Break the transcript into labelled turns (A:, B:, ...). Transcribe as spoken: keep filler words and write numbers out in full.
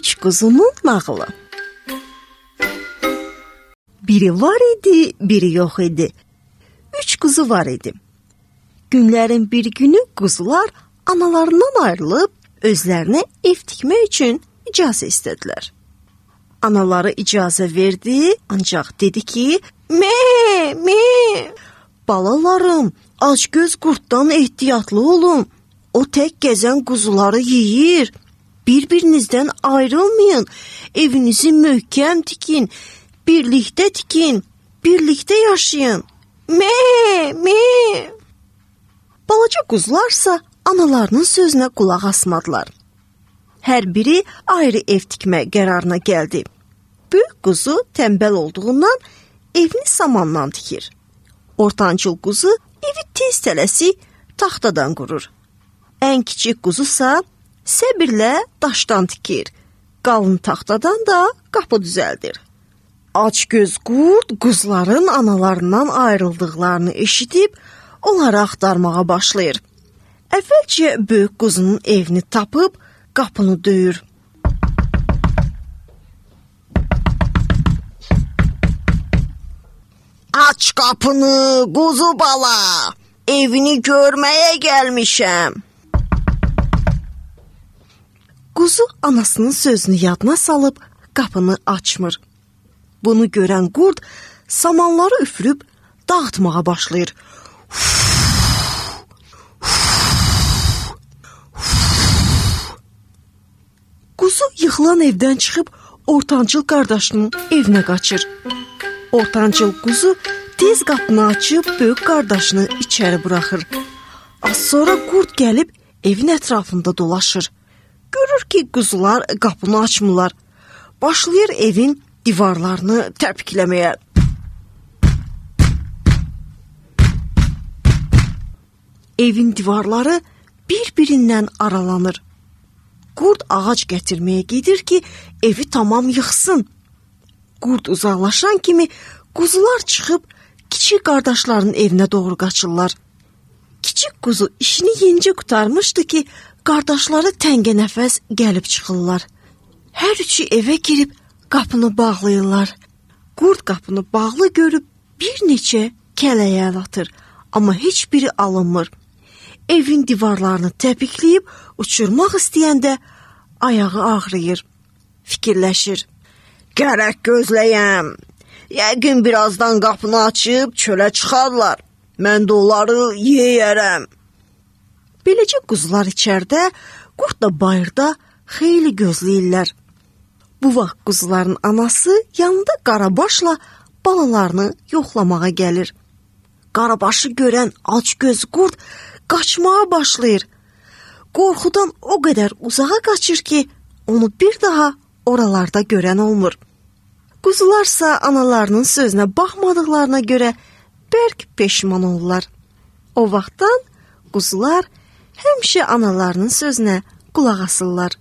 A: Üç quzunun nağılı. Biri var idi, biri yox idi. Üç quzu var idi. Günlərin bir günü quzular analarından ayrılıb özlərinə ev tikmək üçün icazə istədilər. Anaları icazə verdi, ancaq dedi ki, "Me, me, balalarım, acgöz qurddan ehtiyatlı olun. O tək gəzən quzuları yeyir. Bir-birinizdən ayrılmayın. Evinizi möhkəm tikin, birlikdə tikin, birlikdə yaşayın. Me, me." Balaca quzularsa analarının sözünə qulaq asmadılar. Hər biri ayrı ev tikmə qərarına gəldi. Böyük quzu tənbəl olduğundan evini samandan tikir. Ortancıl quzu evi tez tələsi taxtadan qurur. Ən kiçik quzusa səbirlə daşdan tikir. Qalın taxtadan da qapı düzəldir. Acgöz qurd quzuların analarından ayrıldıqlarını eşidib onları axtarmağa başlayır. Əvvəlcə böyük quzunun evini tapıb qapını döyür. "Aç qapını, quzu bala, evini görməyə gəlmişəm." Quzu anasının sözünü yadına salıb qapını açmır. Bunu görən qurd samanları üfürüb dağıtmağa başlayır. Quzu yıxılan evdən çıxıb ortancıl qardaşının evinə qaçır. Ortancıl quzu tez qapını açıb böyük qardaşını içəri buraxır. Az sonra qurd gəlib evin ətrafında dolaşır. Görür ki, quzular qapını açmırlar. Başlayır evin divarlarını təpikləməyə. Evin divarları bir-birindən aralanır. Qurd ağac gətirməyə gedir ki, evi tamam yıxsın. Qurd uzaqlaşan kimi quzular çıxıb kiçik qardaşlarının evinə doğru qaçırlar. Kiçik quzu işini yenicə qurtarmışdı ki, qardaşları təngənəfəs gəlib çıxırlar. Hər üçü evə girib qapını bağlayırlar. Qurd qapını bağlı görüb bir neçə kələyə əl atır, amma heç biri alınmır. Evin divarlarını təpikləyib uçurmaq istəyəndə ayağı ağrıyır. Fikirləşir. "Gərək gözləyəm. Yəqin birazdan qapını açıb çölə çıxarlar. Mən də onları yeyərəm." Beləcə quzular içəridə, qurd da bayırda xeyli gözləyirlər. Bu vaxt quzuların anası yanında Qarabaşla balalarını yoxlamağa gəlir. Qarabaşı görən acgöz qurd qaçmağa başlayır. Qorxudan o qədər uzağa qaçır ki, onu bir daha oralarda görən olmur. Quzularsa analarının sözünə baxmadıqlarına görə bərk peşman olurlar. O vaxtdan quzular həmişə analarının sözünə qulaq asırlar.